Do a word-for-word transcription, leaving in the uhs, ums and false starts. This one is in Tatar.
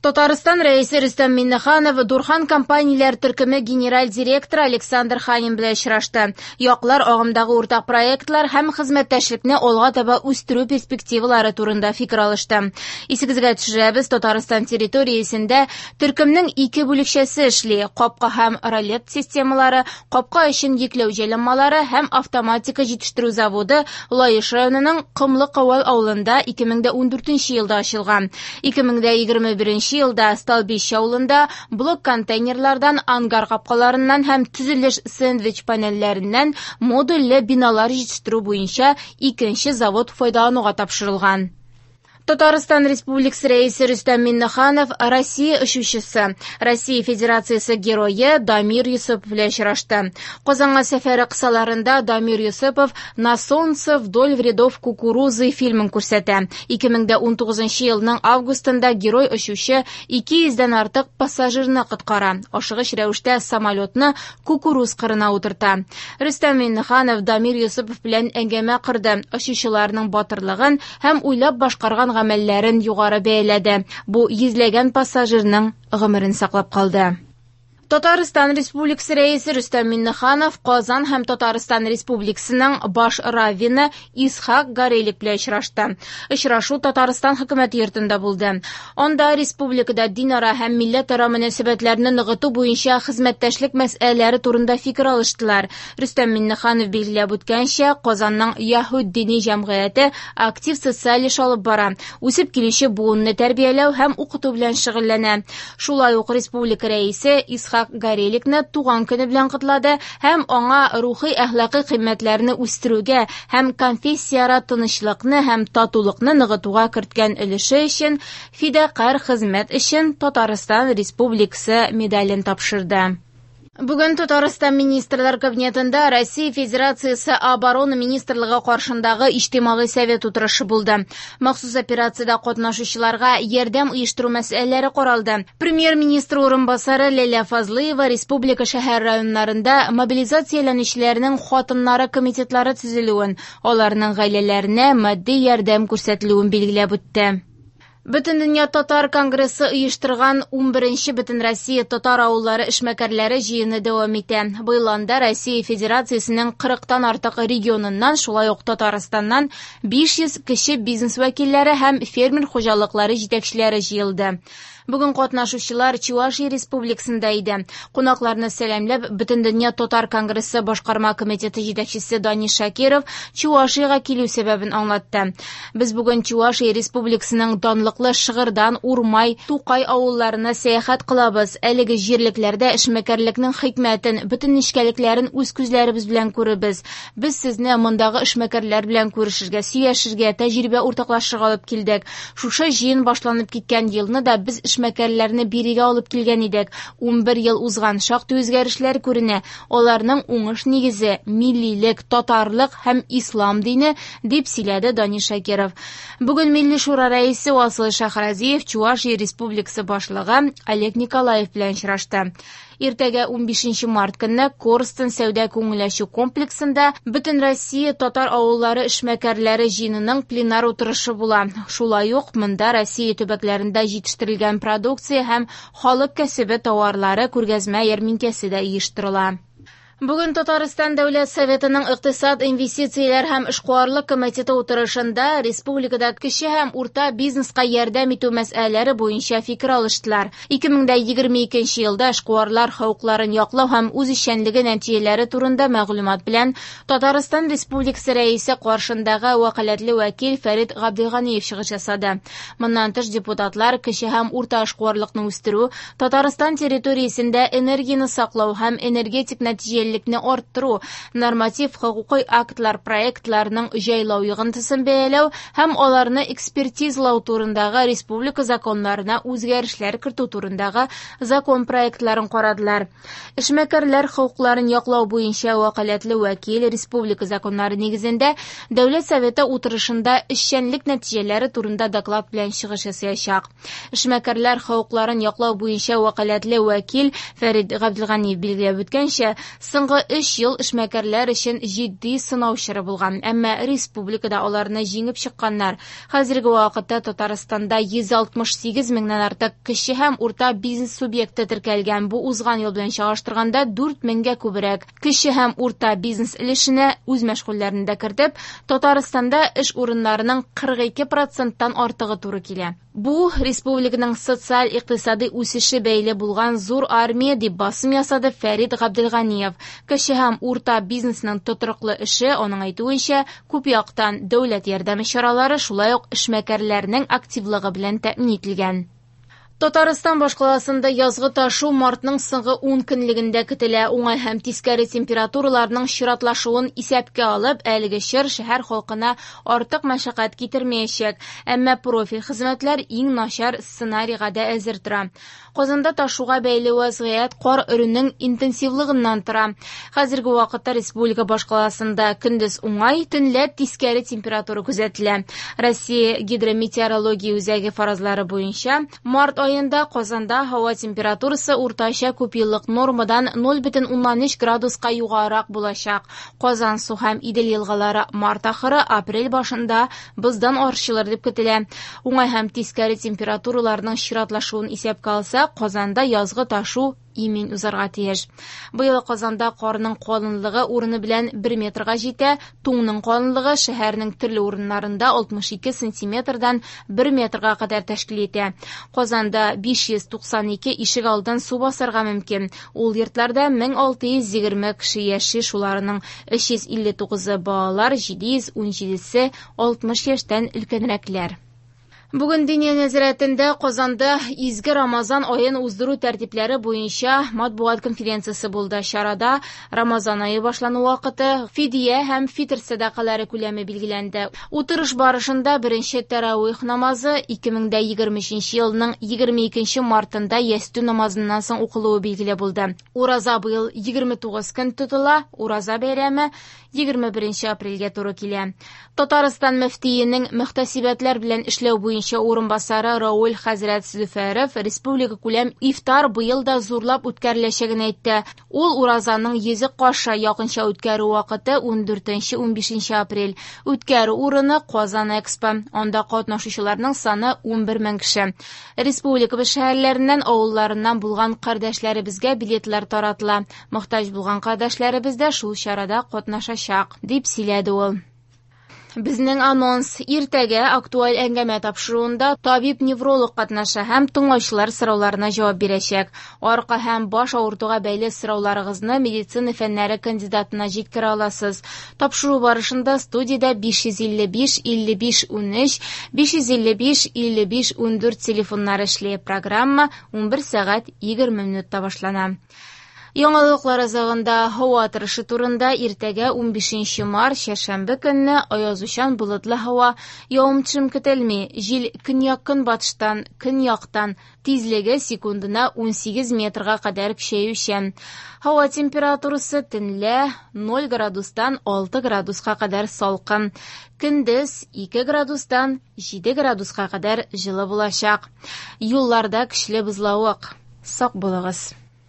Татарстан Рәисе Рөстәм Миңнеханов Дурхан компанияләр төркеме генераль директоры Александр Ханин белән очрашты. Яклар агымдагы уртак проектлар һәм хезмәттәшлекне алга таба үстерү перспективалары турында фикер алышты. Исегезгә төшерәбез, Татарстан территориясендә төркемнең ике бүлекчәсе эшли: капка һәм ролет системалары, капка өчен йөкләү җайланмалары һәм автоматика җитештерү заводы Лаеш районының Комлы Кавал авылында ике мең дә ундүртенче елда ачылган. ике мең дә егерме беренче елда Столбище авылында блок контейнерлардан, ангар капкаларыннан һәм төзелеш сэндвич панельләреннән модульле биналар җитештерү буенча икенче завод файдалануга тапшырылган. Татарстан Республикасы Рәисе Рөстәм Миңнеханов Россия очучысы, Россия Федерациясе герое Дамир Йосыпов белән очрашты. Казанга сәфәре кысаларында Дамир Йосыпов «На солнце вдоль рядов кукурузы» фильмын күрсәтә. ике мең дә унтугызынчы елның августында герой очучы ике йөздән артык пассажирны коткара. Ашыгыч рәвештә самолетны кукуруз кырына утырта. Рөстәм Миңнеханов Дамир Йосыпов белән әңгәмә корды. Очучыларның батырлыгын һәм уйлап башкарган гамәлләрен югары бәяләде. Бу йөзләгән пассажирның гомерен саклап калды. Татарстан Республикасы Рәисе Рөстәм Миңнеханов Казан һәм Татарстан Республикасының баш раввины Исхак Горелик белән очрашты. Очрашу Татарстан хөкүмәте йортында булды. Анда республикада динара һәм милләтара мөнәсәбәтләрне ныгыту буенча хезмәттәшлек мәсьәләләре турында фикер алыштылар. Рөстәм Миңнеханов билгеләп үткәнчә, Казанның Яһүд дини җәмгыяте актив социаль эш алып бара, үсеп килүче буынны тәрбияләү һәм укыту белән шөгыльләнә. Шулай ук республика рәисе Исхак Гореликны туган көне белән котлады һәм аңа рухи әхлакый кыйммәтләрне үстерүгә һәм конфессияара тынычлыкны һәм татулыкны ныгытуга керткән өлеше өчен фидакарь хезмәт өчен Татарстан Республикасы медален тапшырды. Бүген Татарстан Министрлар Кабинетында Россия Федерациясе Оборона Министрлыгы каршындагы Иҗтимагый совет утырышы булды. Махсус операциядә катнашучыларга ярдәм оештыру мәсьәләләре каралды. Премьер-министр урынбасары Ләйлә Фазлыева республика шәһәр районнарында мобилизацияләнүчеләрнең хатыннары комитетлары төзелүен, аларның гаиләләренә матди ярдәм күрсәтелүен билгеләп үтте. Бөтендөнья татар конгрессы оештырган унберенче Бөтенроссия татар авыллары эшмәкәрләре җыены дәвам итә. Быел анда Россия Федерациясенең кырыктан артык регионыннан, шулай ук Татарстаннан биш йөз кече бизнес вәкилләре һәм фермер хуҗалыклары җитәкчеләре җыелды. Бүген катнашучылар Чувашия Республикасында иде. Кунакларны сәламләп, Бөтендөнья татар конгрессы башкарма комитеты җитәкчесе Данис Шакиров Чувашиягә килү сәбәбен аңлатты. Без бүген Чувашия Республикасының данлыклы Шыгырдан, Урмай, Тукай авылларына сәяхәт кылабыз. Әлеге җирлекләрдә эшмәкәрлекнең хикмәтен, бөтен нечкәлекләрен үз күзләребез белән күрербез. Без сезне мондагы эшмәкәрләр белән күрешергә, сөйләшергә, тәҗрибә уртаклашырга алып килдек. Шушы җыен башланып киткән елны да без эшмәкәрләрне бирегә алып килгән идек. Унбер ел узган, шактый үзгәрешләр күренә. Аларның уңыш нигезе миллилек, татарлык һәм ислам дине, дип сөйләде Данис Шакиров. Бүген Милли Шура рәисе Васил Шәйхразиев Чувашия Республикасы башлыгы Олег Николаев белән очрашты. Иртәгә унбишенче март көнне Корстон сәүдә күңел ачу комплексында Бөтенроссия татар авыллары эшмәкәрләре җыенының пленар утырышы була. Шулай ук монда Россия төбәкләрендә җитештерелгән продукция һәм халык кәсебе товарлары күргәзмә ярминкәсе дә оештырыла. Бүген Татарстан Дәүләт Советының Икътисад, инвестицияләр һәм эшкуарлык комитеты утырышында республикада кече һәм урта бизнеска ярдәм итү мәсьәләләре буенча фикер алыштылар. ике мең дә егерме икенче елда эшкуарлар хокукларын яклау һәм үз эшчәнлеге нәтиҗәләре турында мәгълүмат белән Татарстан Республикасы Рәисе каршындагы вәкаләтле вәкил Фәрит Габделганиев чыгыш ясады. Моннан тыш депутатлар кече һәм урта эшкуарлыкны үстерү, Татарстан территориясендә энергияне саклау һәм энергетик нәтиҗәлелекне арттыру, норматив хокукый актлар проектларының җайлау йогынтысын бәяләү һәм аларны экспертизалау турындагы республика законнарына үзгәрешләр кертү турындагы закон проектларын карадылар. Эшмәкәрләр хокукларын яклау буенча вәкаләтле вәкил республика законнары нигезендә Дәүләт Советы утырышында эшчәнлек нәтиҗәләре турында доклад белән чыгыш ясаячак. Эшмәкәрләр хокукларын яклау буенча вәкаләтле вәкил Фәрит Габделганиев билгеләп үткәнчә, Соңгы өч ел эшмәкәрләр өчен җитди сынау чоры булган, әмма республикада аларны җиңеп чыкканнар. Хәзерге вакытта Татарстанда йөз алтмыш сигез меңнән артык кече һәм урта бизнес субъекты теркәлгән. Бу узган ел белән чагыштырганда дүрт меңгә күбрәк. Кече һәм урта бизнес өлешенә үз мәшгульләрен дә кертеп, Татарстанда эш урыннарының кырык ике проценттан артыгы туры килә. Бу республиканың социаль-икътисади үсеше бәйле булган зур армия дип басым ясады Фәрит Габделганиев. Кече һәм урта бизнесның тотрыклы эше, аның әйтүенчә, күп яктан дәүләт ярдәме чаралары, шулай ук эшмәкәрләрнең активлыгы белән тәэмин ителгән. Татарстан башкаласында язгы ташу мартның соңгы ун көнлегендә көтелә. Уңай һәм тискәре температураларның чиратлашуын исәпкә алып, әлеге чор шәһәр халкына артык мәшәкать китермәячәк. Әмма профиль хезмәтләр иң начар сценарийга да әзер тора. Казанда ташуга бәйле вазгыять кар өрүнең интенсивлыгыннан тора. Хәзерге вакытта республика башкаласында көндез уңай, төнлә тискәре температура күзәтелә. Россия гидрометеорология үзәге фаразлары буенча март айында Казанда һава температурасы уртача күпьеллык нормадан ноль бөтен уннан өч градуска югарырак булачак. Казан су һәм Идел елгалары март ахыры, апрель башында боздан арчылыр дип көтелә. Уңай һәм тискәре температураларның чиратлашуын исәпкә алсак, Казанда язгы ташу имин узарга тиеш. Быел Казанда карның калынлыгы урыны белән бер метрга җитә, туңның калынлыгы шәһәрнең төрле урыннарында алтмыш ике сантиметрдан бер метрга кадәр тәшкил итә. Казанда биш йөз туксан ике ишек алдын су басарга мөмкин. Ул йортларда мең алты йөз егерме кеше яши, шуларның өч йөз илле тугызы балалар, җиде йөз ун җидесе алтмыш яшьтән өлкәнрәкләр. Бүген Диния нәзарәтендә Казанда изге Рамазан аен уздыру тәртипләре буенча матбугат конференциясе булды. Чарада Рамазан ае башлану вакыты, фидия һәм фитр сәдакалары күләме билгеләнде. Утырыш барышында беренче тәравих намазы ике мең дә егерме өченче елның егерме икенче мартында ястү намазыннан соң укылуы билгеле булды. Ураза быел егерме тугыз көн тотыла, ураза бәйрәме егерме беренче апрельгә туры килә. Татарстан мөфтиенең мөхтәсибәтләр белән эшләү буенча урынбасары Рауль хәзрәт Зөфәров республика күләм ифтар быел да зурлап үткәреләчәген әйтте. Ул уразаның йөзе кашы якынча үткәрү вакыты ун дүртенче ун бишенче апрель. Үткәрү урыны Казан Экспо. Анда катнашучыларның саны ун бер мең кеше. Республика шәһәрләреннән, авылларыннан булган кардәшләребезгә билетлар таратыла. Мохтаҗ булган кардәшләребез дә шул чарада катнашачак, дип сөйләде ул. Безнең анонс: иртәгә актуаль әңгәмә тапшыруында табиб-невролог катнаша һәм тыңлаучылар сорауларына җавап бирәчәк. Арка һәм баш авыртуга бәйле сорауларыгызны медицина фәннәре кандидатына җиткерә аласыз. Тапшыру барышында студиядә биш йөз илле биш илле биш унөч, биш йөз илле биш илле биш ундүрт телефоннары эшли. Программа унбер сәгать егерме минутта башлана. Яңалыклар азагында һава торышы турында: иртәгә унбишенче март чәршәмбе көнне аязучан болытлы һава, явым-төшем көтелми. Җил көньяк-көнбатыштан, көньяктан, тизлеге секундына унсигез метрга кадәр көчәючән. Һава температурасы төнлә ноль градустан алты градуска кадәр салкын. Көндез ике градустан җиде градуска кадәр җылы булачак. Юлларда көчле бозлавык. Сак булыгыз.